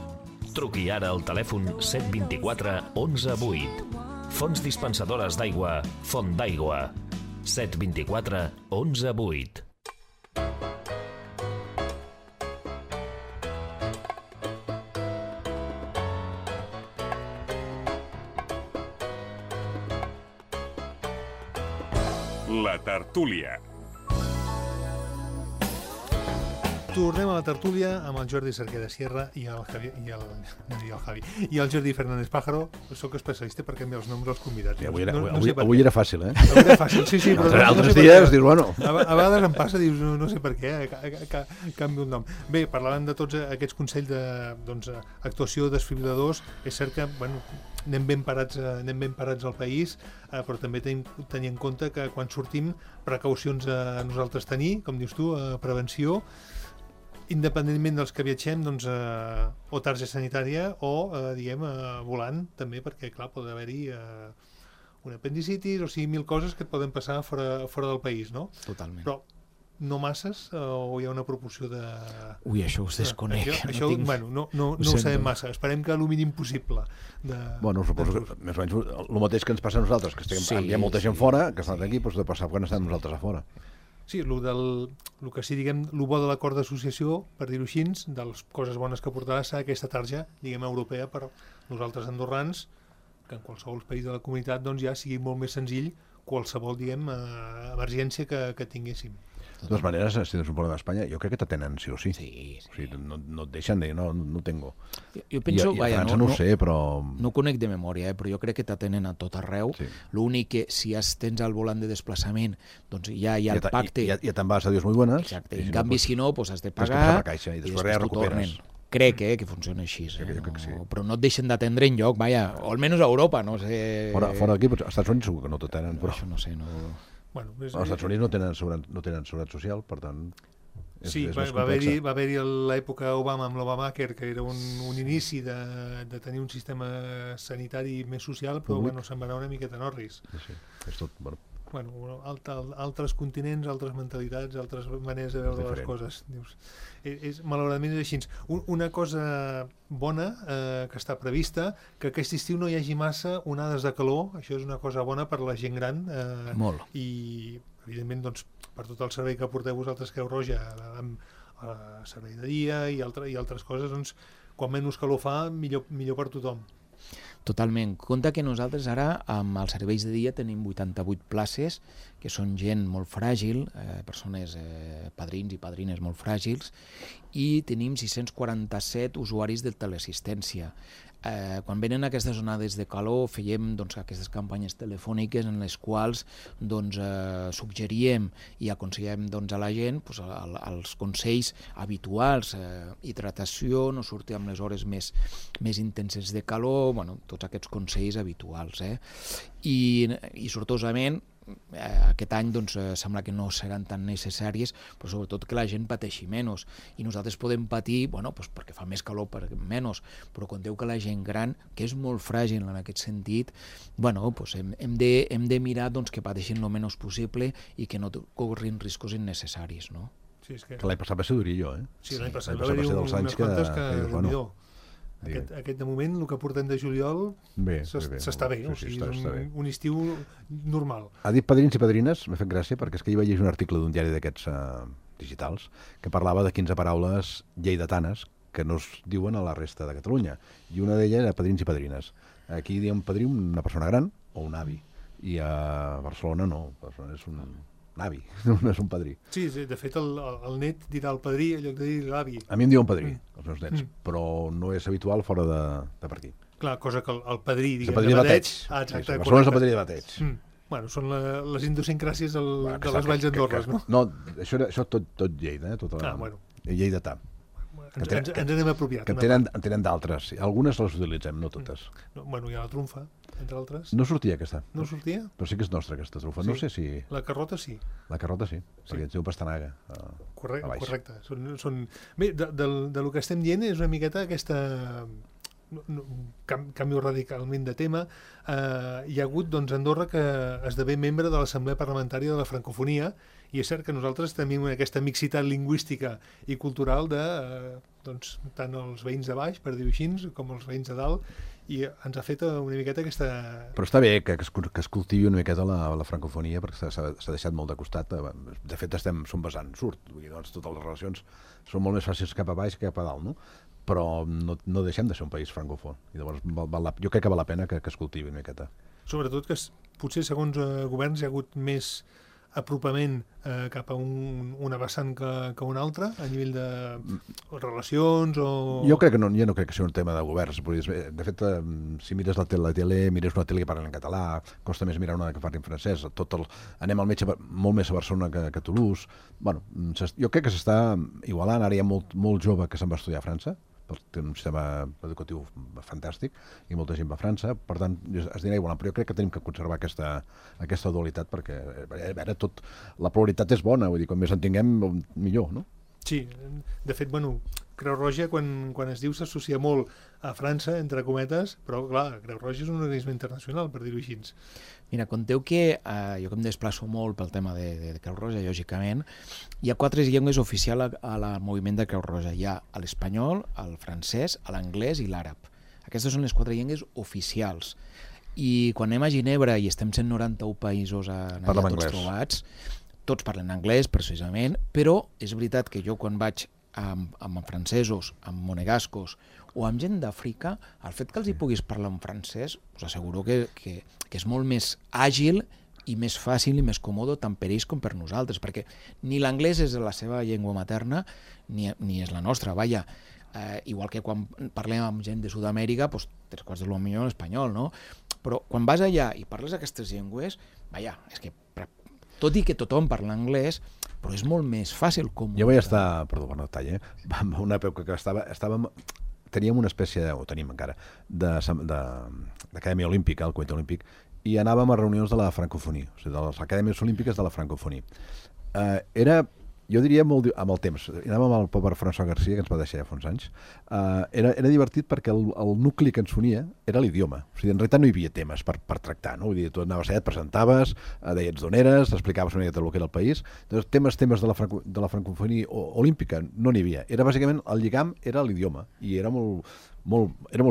Truqui ara al telèfon 724 11 8. Fonts dispensadores d'aigua, Font d'aigua. 724 11 8. La tertúlia. Tornem a la tertúlia amb el Jordi Cerqueda Sierra i el Jordi Fernández Pájaro. Soc especialista per canviar els noms dels convidats. Avui era fàcil, eh? Avui era fàcil, sí. Però altres dies dius, bueno... A vegades em passa, dius, no sé per què, canvio un nom. Bé, parlàvem de tots aquests consells d'actuació de desfibriladors. És cert que, anem ben parats al país, però també tenir en compte que quan sortim, precaucions a nosaltres tenir, com dius tu, prevenció, independentment dels que viatgem, o targeta sanitària o, volant, també, perquè, clar, pot haver-hi un apendicitis, o sigui, mil coses que et poden passar fora del país, no? Totalment. Però no masses, o hi ha una proporció de... Ui, això us desconec. Això, no ho sabem massa. Esperem que el mínim possible. Suposo que més o menys el mateix que ens passa a nosaltres, que hi ha molta gent fora, que estan aquí, doncs de passar quan estem nosaltres a fora. Sí, el que sí, diguem, el bo de l'acord d'associació, per dir-ho així, de les coses bones que portarà serà aquesta tarja, diguem, europea per nosaltres andorrans, que en qualsevol país de la comunitat ja sigui molt més senzill qualsevol, diguem, emergència que tinguéssim. De totes maneres, si tens un problema a Espanya, jo crec que t'atenen sí o sí. Sí. O sigui, no et deixen dir, no tengo. Jo penso, I a França no ho sé, però... No ho conec de memòria, però jo crec que t'atenen a tot arreu. Sí. L'únic que, si tens al volant de desplaçament, doncs ja hi ha el pacte... Ja te'n vas a Dios muy buenas. Exacte. En canvi, si no, has de pagar i després ja recuperes. Crec que funciona així. Jo crec que sí. Però no et deixen d'atendre enlloc, o almenys a Europa, no sé... Fora d'aquí, als Estats Units segur que no t'atenen, però... Això no sé, no... Els Estats Units no tenen seguretat social, per tant... Sí, va haver-hi l'època Obama amb l'Obamacare, que era un inici de tenir un sistema sanitari més social, però se'n va anar una miqueta en orris. Sí, és tot... altres continents, altres mentalitats, altres maneres de veure les coses. Malauradament és així. Una cosa bona que està prevista, que aquest estiu no hi hagi massa onades de calor, això és una cosa bona per la gent gran. Molt. I, evidentment, per tot el servei que porteu vosaltres, Creu Roja, servei de dia i altres coses, quan menys calor fa, millor per tothom. Totalment. Compte que nosaltres ara, amb els serveis de dia, tenim 88 places, que són gent molt fràgil, persones, padrins i padrines molt fràgils, i tenim 647 usuaris de teleassistència. Quan venen aquestes onades de calor fèiem aquestes campanyes telefòniques en les quals suggeríem i aconsellem a la gent els consells habituals, hidratació, no sortir amb les hores més intenses de calor, tots aquests consells habituals. I sortosament aquest any sembla que no seran tan necessàries, però sobretot que la gent pateixi menys, i nosaltres podem patir perquè fa més calor per menys, però conteu que la gent gran, que és molt fràgil en aquest sentit, hem de mirar que pateixin el menys possible i que no corrin riscos innecessaris, no? Sí, és que l'any passat va ser durillo, eh? Sí, l'any passat va haver-hi unes quantes que aquest de moment, el que portem de juliol s'està bé, o sigui, és un estiu normal. Ha dit padrins i padrines, m'ha fet gràcia, perquè és que jo vaig llegir un article d'un diari d'aquests digitals que parlava de 15 paraules lleidatanes que no es diuen a la resta de Catalunya, i una d'elles era padrins i padrines. Aquí diem padrí una persona gran o un avi, i a Barcelona no, Barcelona és un avi, no és un padrí. Sí, de fet el net dirà el padrí en lloc de dir l'avi. A mi em diuen padrí, els meus nets, però no és habitual fora de per aquí. Clar, cosa que el padrí, diguem, de bateig. Exacte. Barcelona és el padrí de bateig. Bueno, són les idiosincràsies de les valls d'Andorres, no? No, això tot Lleida, lleidatà. Ens n'hem apropiat. Que en tenen d'altres. Algunes les utilitzem, no totes. Bueno, hi ha la trumfa, entre altres. No sortia aquesta. No sortia? Però sí que és nostra, aquesta trumfa. No sé si... La carrota sí. La carrota sí, perquè ens diu pastanaga. Correcte. Bé, del que estem dient és una miqueta aquesta... canvio radicalment de tema. Hi ha hagut a Andorra que esdevé membre de l'Assemblea Parlamentària de la Francofonia, i és cert que nosaltres tenim aquesta mixitat lingüística i cultural de tant els veïns de baix, per dir-ho així, com els veïns de dalt, i ens ha fet una miqueta aquesta... Però està bé que es cultivi una miqueta la francofonia, perquè s'ha deixat molt de costat. De fet, som basant surt. Totes les relacions són molt més fàcils cap a baix que cap a dalt, no? Però no deixem de ser un país francòfon. I llavors jo crec que val la pena que es cultivi una miqueta. Sobretot que potser segons governs hi ha hagut més apropament cap a una vessant que una altra, a nivell de relacions o... Jo no crec que sigui un tema de governs. De fet, si mires la tele, mires una tele que parla en català, costa més mirar una que parli en francès. Anem al metge molt més a Barcelona que a Toulouse. Jo crec que s'està igualant. Ara hi ha molt jove que se'n va estudiar a França, té un sistema educatiu fantàstic, i molta gent va a França, per tant es dirà igual, però jo crec que tenim que conservar aquesta dualitat, perquè la pluralitat és bona, vull dir, com més en tinguem millor, no? Sí, de fet, Creu Roja, quan es diu, s'associa molt a França, entre cometes, però clar, Creu Roja és un organisme internacional, per dir-ho així. Mira, conteu que jo que em desplaço molt pel tema de Creu Roja, lògicament, hi ha 4 llengües oficials al moviment de Creu Roja. Hi ha l'espanyol, el francès, l'anglès i l'àrab. Aquestes són les 4 llengües oficials. I quan anem a Ginebra i estem 191 països allà tots trobats, tots parlen anglès, precisament, però és veritat que jo quan vaig amb francesos, amb monegascos o amb gent d'Àfrica, el fet que els hi puguis parlar en francès, us asseguro que és molt més àgil i més fàcil i més còmode tant per ells com per nosaltres, perquè ni l'anglès és la seva llengua materna ni és la nostra, vaja. Igual que quan parlem amb gent de Sud-amèrica, 3/4 de lo millor en espanyol, no? Però quan vas allà i parles aquestes llengües, vaja, és que tot i que tothom parla anglès, però és molt més fàcil com... Jo vaig estar, perdó per no detall, en una època que teníem una espècie, o tenim encara, d'acadèmia olímpica, el Comitè Olímpic, i anàvem a reunions de la francofonia, o sigui, de les acadèmies olímpiques de la francofonia. Era, jo diria, molt amb el temps, anàvem amb el pobre François Garcia, que ens va deixar ja fa uns anys, era divertit perquè el nucli que ens unia era l'idioma. O sigui, en realitat no hi havia temes per tractar, no? Vull dir, tu anaves allà, et presentaves, deies d'on eres, explicaves una mica el que era el país. Temes de la francofonia olímpica no n'hi havia. Era bàsicament, el lligam era l'idioma, i era molt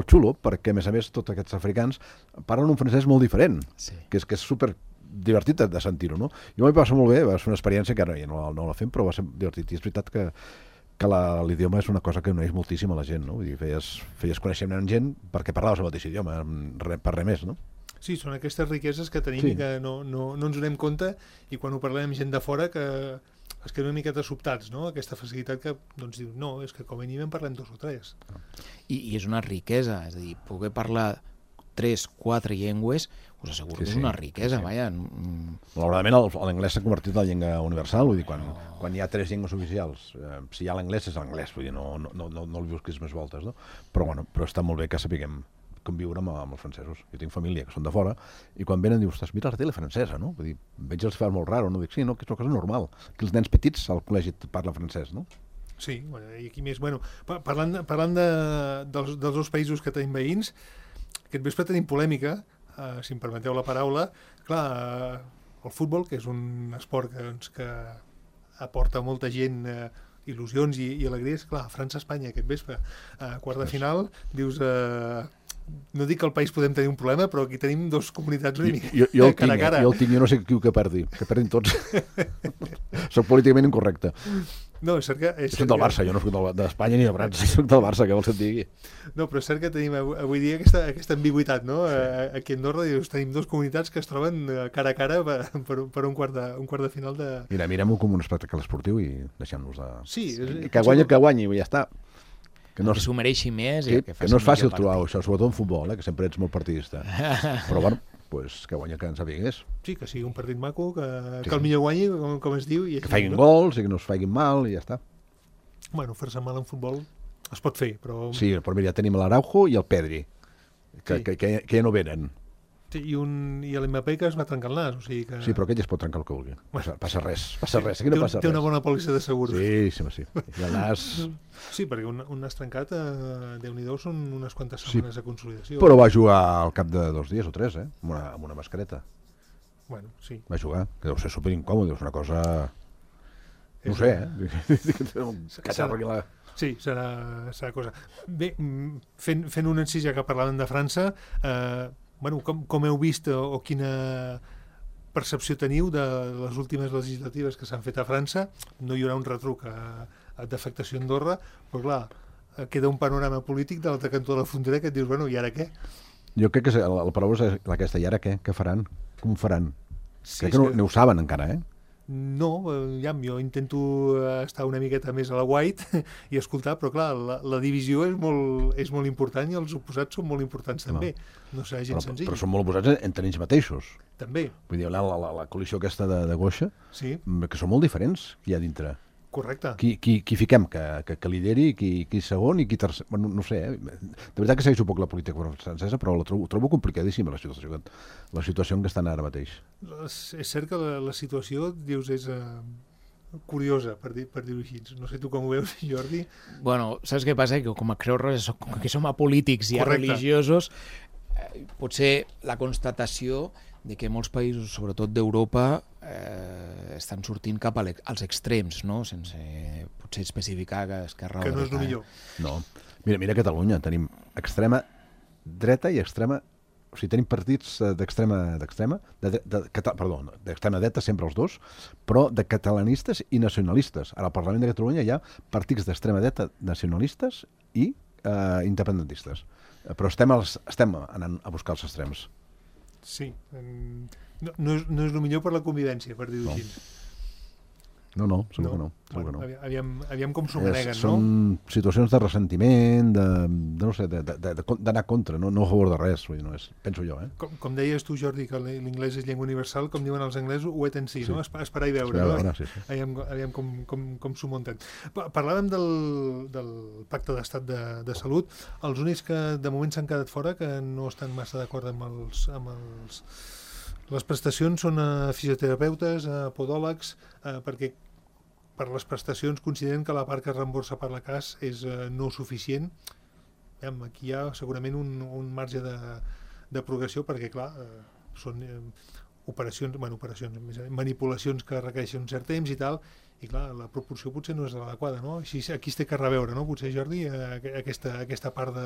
xulo, perquè a més tots aquests africans parlen un francès molt diferent, que és super divertit de sentir-ho, no? Jo m'hi passa molt bé, va ser una experiència que ara ja no la fem, però va ser divertit, i és veritat que que l'idioma és una cosa que uneix moltíssim a la gent, no? Vull dir, feies coneixement amb gent perquè parlaves el mateix idioma, per res més, no? Sí, són aquestes riqueses que tenim i que no ens donem compte, i quan ho parlem amb gent de fora que es queden una miqueta sobtats, no? Aquesta facilitat que doncs diu, no, és que com a mínim en parlem 2 o 3. I és una riquesa, és a dir, poder parlar 3, 4 llengües, us asseguro que és una riquesa, vaja. Malauradament l'anglès s'ha convertit en la llengua universal, vull dir, quan hi ha 3 llengües oficials, si hi ha l'anglès és l'anglès, vull dir, no el busquis més voltes, no? Però està molt bé que sapiguem conviure amb els francesos. Jo tinc família que són de fora i quan venen dius, mira la tele francesa, no? Vull dir, veig els fas molt raro, no? Dic, sí, no, que és una cosa normal, que els nens petits al col·legi parlen francès, no? Sí, i aquí més, parlant dels 2 països que tenim veïns, aquest vespre tenim polèmica, si em permeteu la paraula. Clar, el futbol, que és un esport que aporta molta gent il·lusions i alegries, clar, França-Espanya aquest vespre, quart de final, dius... No dic que al país podem tenir un problema, però aquí tenim 2 comunitats una mica cara a cara. Jo el tinc, jo no sé qui que perdi, que perdin tots. Soc políticament incorrecte. No, és cert que... Soc del Barça, jo no soc d'Espanya ni de França, soc del Barça, què vols que et digui? No, però és cert que tenim avui dia aquesta ambigüitat, no? Aquí a Andorra tenim 2 comunitats que es troben cara a cara per un quart de final de... Mirem-ho com un espectacle esportiu i deixem-nos de... Sí. Que guanyi, i ja està. Que s'ho mereixi més. Que no és fàcil trobar això, sobretot en futbol, que sempre ets molt partidista. Però bueno, que guanya que ens sapigués. Sí, que sigui un partit maco, que el millor guanyi, com es diu. Que faiguin gols i que no es faiguin mal i ja està. Bueno, fer-se mal en futbol es pot fer, però... Sí, però mira, ja tenim l'Araujo i el Pedri, que ja no venen. Sí, i l'Mbappé que es va trencar el nas, o sigui que... Sí, però aquell es pot trencar el que vulgui. Passa res, aquí no passa res. Té una bona pòlissa de seguros. Sí. I el nas... Sí, perquè un nas trencat, Déu-n'hi-do, són unes quantes setmanes de consolidació. Però va jugar al cap de 2 dies o 3, amb una mascareta. Bueno, sí. Va jugar, que deu ser superincòmode, és una cosa... No ho sé, Sí, serà cosa. Bé, fent un encís, ja que parlàvem de França, com heu vist o quina percepció teniu de les últimes legislatives que s'han fet a França? No hi haurà un retruc d'afectació a Andorra, però clar, queda un panorama polític de l'altre cantó de la frontera que et dius, i ara què? Jo crec que la paraula és aquesta, i ara què? Què faran? Com ho faran? Crec que no ho saben encara, No, jo intento estar una miqueta més a la white i escoltar, però clar, la divisió és molt important i els oposats són molt importants també. No serà gens senzill. Però són molt oposats entre ells mateixos. També. Vull dir, la coalició aquesta de Goixa, que són molt diferents hi ha dintre. Correcte. Qui fiquem que lideri, qui segon i qui tercer... Bueno, no sé, de veritat que segueixo poc la política francesa, però ho trobo complicadíssima, la situació en què estan ara mateix. És cert que la situació, dius, és curiosa, per dir-ho així. No sé tu com ho veus, Jordi. Bueno, saps què passa? Que com a creus que som apolítics i religiosos, potser la constatació de que molts països, sobretot d'Europa, estan sortint cap als extrems, no? Sense potser especificar que Esquerra... Que no és el millor. No. Mira Catalunya, tenim extrema dreta i extrema... O sigui, tenim partits d'extrema dreta, sempre els dos, però de catalanistes i nacionalistes. Ara al Parlament de Catalunya hi ha partits d'extrema dreta nacionalistes i independentistes. Però estem anant a buscar els extrems. Sí, no és el millor per la convivència, per dir-ho així. No, segur que no. Aviam com s'ho maneguen, no? Són situacions de ressentiment, d'anar contra, no a favor de res, penso jo. Com deies tu, Jordi, que l'inglès és llengua universal, com diuen els anglesos, wait and see, no? Esperar i veure, no? Aviam com s'ho munten. Parlàvem del pacte d'estat de salut. Els únics que de moment s'han quedat fora, que no estan massa d'acord amb les prestacions, són fisioterapeutes, podòlegs, perquè per les prestacions consideren que la part que es reemborsa per la CAS és no suficient. Aquí hi ha segurament un marge de progressió, perquè clar, són manipulacions que requereixen un cert temps i tal, i clar, la proporció potser no és l'adequada, no? Així aquí es té que reveure, no? Potser, Jordi, aquesta part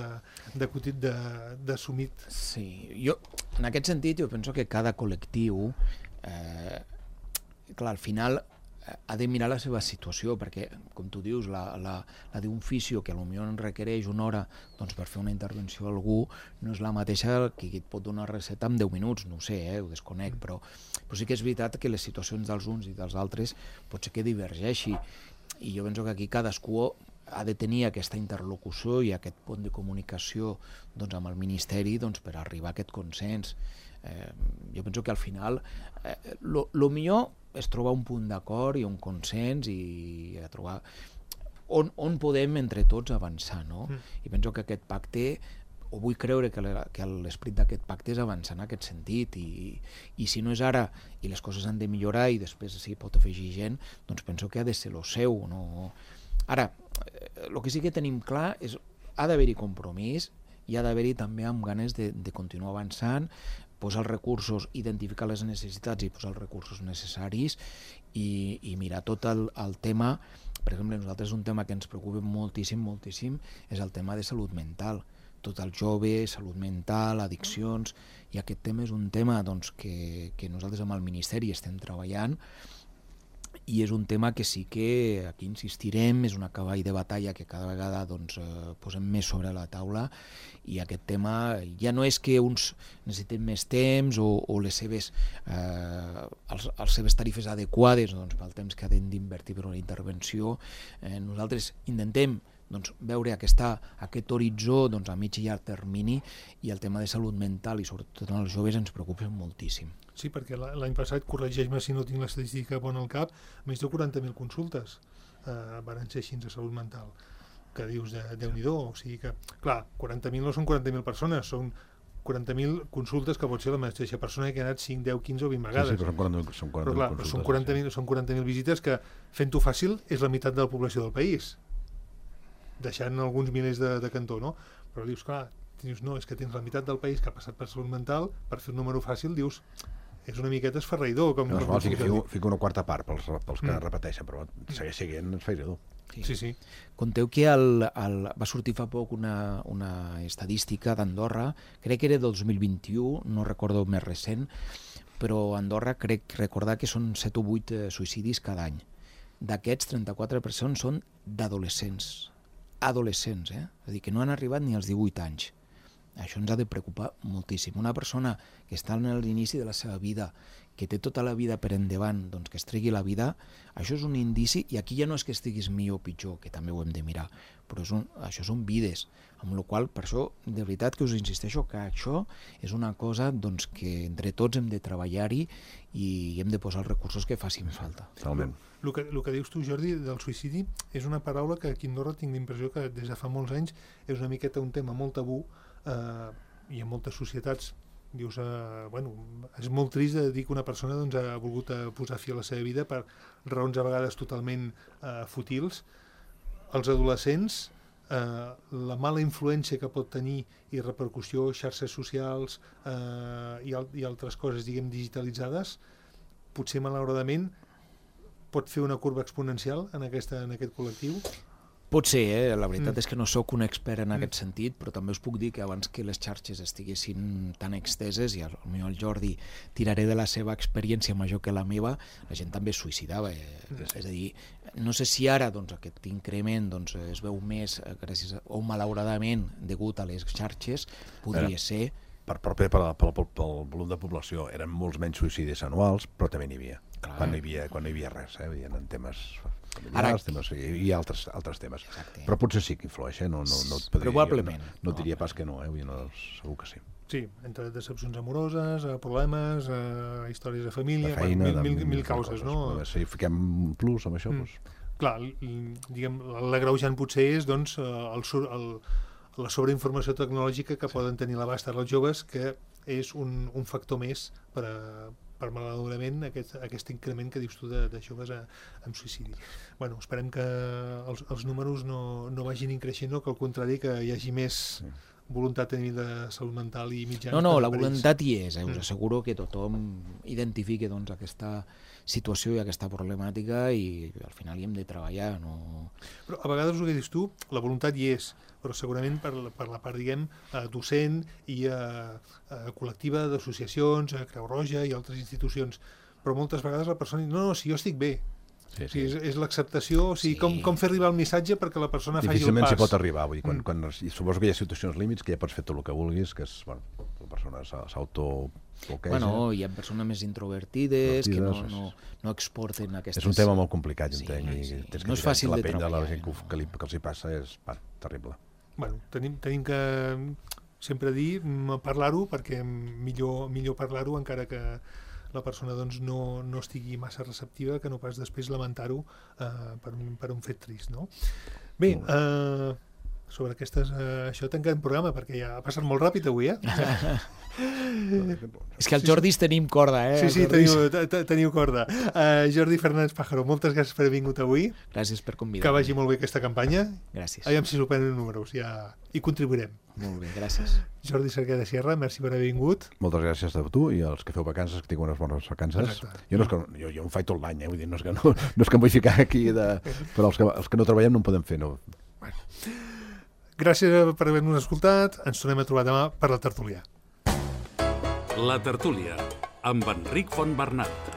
d'assumit. Sí, jo, en aquest sentit, jo penso que cada col·lectiu, clar, al final, ha de mirar la seva situació, perquè, com tu dius, la d'un fisio que potser en requereix una hora per fer una intervenció a algú no és la mateixa que et pot donar recepta en 10 minuts, no ho sé, ho desconec, però sí que és veritat que les situacions dels uns i dels altres pot ser que divergeixi, i jo penso que aquí cadascú ha de tenir aquesta interlocució i aquest pont de comunicació amb el Ministeri per arribar a aquest consens. Jo penso que al final el millor és trobar un punt d'acord i un consens i trobar on podem entre tots avançar, no? I penso que aquest pacte, o vull creure que l'esperit d'aquest pacte és avançar en aquest sentit, i si no és ara i les coses han de millorar i després s'hi pot afegir gent, doncs penso que ha de ser el seu, no? Ara, el que sí que tenim clar és ha d'haver-hi compromís i ha d'haver-hi també amb ganes de continuar avançant, posar els recursos, identificar les necessitats i posar els recursos necessaris i mirar tot el tema. Per exemple, nosaltres un tema que ens preocupa moltíssim, moltíssim, és el tema de salut mental. Tot el jove, salut mental, addiccions, i aquest tema és un tema que nosaltres amb el Ministeri estem treballant, i és un tema que sí que aquí insistirem, és un cavall de batalla que cada vegada posem més sobre la taula, i aquest tema ja no és que uns necessiten més temps o les seves tarifes adequades pel temps que han d'invertir per una intervenció. Nosaltres intentem veure aquest horitzó a mig i llarg termini, i el tema de salut mental i sobretot en els joves ens preocupa moltíssim. Sí, perquè l'any passat, corregeix-me si no tinc l'estadística bona al cap, més de 40.000 consultes van ser així de salut mental, que dius, Déu-n'hi-do, o sigui que, clar, 40.000 no són 40.000 persones, són 40.000 consultes que pot ser la mateixa persona que ha anat 5, 10, 15 o 20 vegades. Sí, però són 40.000 consultes. Són 40.000 visites que, fent-ho fàcil, és la meitat de la població del país, deixant alguns milers de cantó, no? Però dius, clar, no, és que tens la meitat del país que ha passat per salut mental, per fer un número fàcil, dius, és una miqueta esfereïdor. Fica una quarta part pels que repeteixen, però segueix sent esfereïdor. Sí. Conteu que va sortir fa poc una estadística d'Andorra, crec que era del 2021, no recordo més recent, però a Andorra crec recordar que són 7 o 8 suïcidis cada any. D'aquests, 34% són d'adolescents. Adolescents, és a dir, que no han arribat ni als 18 anys. Això ens ha de preocupar moltíssim. Una persona que està en l'inici de la seva vida, que té tota la vida per endavant, que es tregui la vida, això és un indici, i aquí ja no és que estiguis millor o pitjor, que també ho hem de mirar, però això són vides, amb la qual, per això, de veritat que us insisteixo que això és una cosa que entre tots hem de treballar-hi i hem de posar els recursos que facin falta. Totalment. El que dius tu, Jordi, del suïcidi, és una paraula que aquí a Andorra tinc l'impressió que des de fa molts anys és una miqueta un tema molt tabú, i en moltes societats dius, és molt trist de dir que una persona ha volgut posar fi a la seva vida per raons a vegades totalment fútils. Els adolescents, la mala influència que pot tenir i repercussió, xarxes socials i altres coses, diguem, digitalitzades, potser malauradament pot fer una curva exponencial en aquest col·lectiu? Pot ser, la veritat és que no sóc un expert en aquest sentit, però també us puc dir que abans que les xarxes estiguessin tan exteses, i potser el Jordi tiraré de la seva experiència major que la meva, la gent també es suïcidava. És a dir, no sé si ara aquest increment es veu més o malauradament degut a les xarxes, podria ser. Pel volum de població eren molts menys suïcidis anuals, però també n'hi havia. Quan no hi havia res, hi havia temes familiars i altres temes. Però potser sí que influeix, probablement. No et diria pas que no, segur que sí. Sí, entre decepcions amoroses, problemes, històries de família, feina, mil causes, no? Si fiquem un plus amb això, doncs... Clar, diguem, l'agreujant potser és, doncs, la sobreinformació tecnològica que poden tenir l'abast els joves, que és un factor més per malauradament aquest increment que dius tu de joves amb suïcidi. Bueno, esperem que els números no vagin increixent, que al contrari que hi hagi més voluntat a nivell de salut mental i mitjans. No, la voluntat hi és, us asseguro que tothom identifiqui aquesta situació i aquesta problemàtica i al final hi hem de treballar. Però a vegades el que dius tu, la voluntat hi és, però segurament per la part, diguem, docent i col·lectiva d'associacions, Creu Roja i altres institucions. Però moltes vegades la persona diu, no, si jo estic bé. Sí. És l'acceptació, o sigui, com fer arribar el missatge perquè la persona faci el pas. Difícilment s'hi pot arribar, vull dir, quan suposo que hi ha situacions límits que ja pots fer tot el que vulguis, que és, bueno, la persona s'autobloqueja. Bueno, hi ha persones més introvertides que no exporten aquestes... És un tema molt complicat, entenc, i tens que no és fàcil de treballar. La gent que els hi passa és terrible. Bueno, tenim que sempre dir, parlar-ho, perquè millor parlar-ho encara que la persona doncs, no estigui massa receptiva, que no pas després lamentar-ho per un fet trist, no? Bé, sobre això tanquem el programa, perquè ja ha passat molt ràpid avui, És que els Jordis tenim corda, Sí, teniu corda. Jordi Fernández Pájaro, moltes gràcies per haver vingut avui. Gràcies per convidar-me. Que vagi molt bé aquesta campanya. Gràcies. Aviam si superen números, ja hi contribuirem. Molt bé, gràcies. Jordi Cerquer de Sierra, merci per haver vingut. Moltes gràcies a tu i als que feu vacances, que tingueu unes bones vacances. Jo em faig tot l'any, vull dir, no és que em vull ficar aquí, però els que no treballem no en podem fer, no. Gràcies per haver-nos escoltat. Ens tornem a trobar demà per la tertúlia. La tertúlia, amb Enric Fontbernat.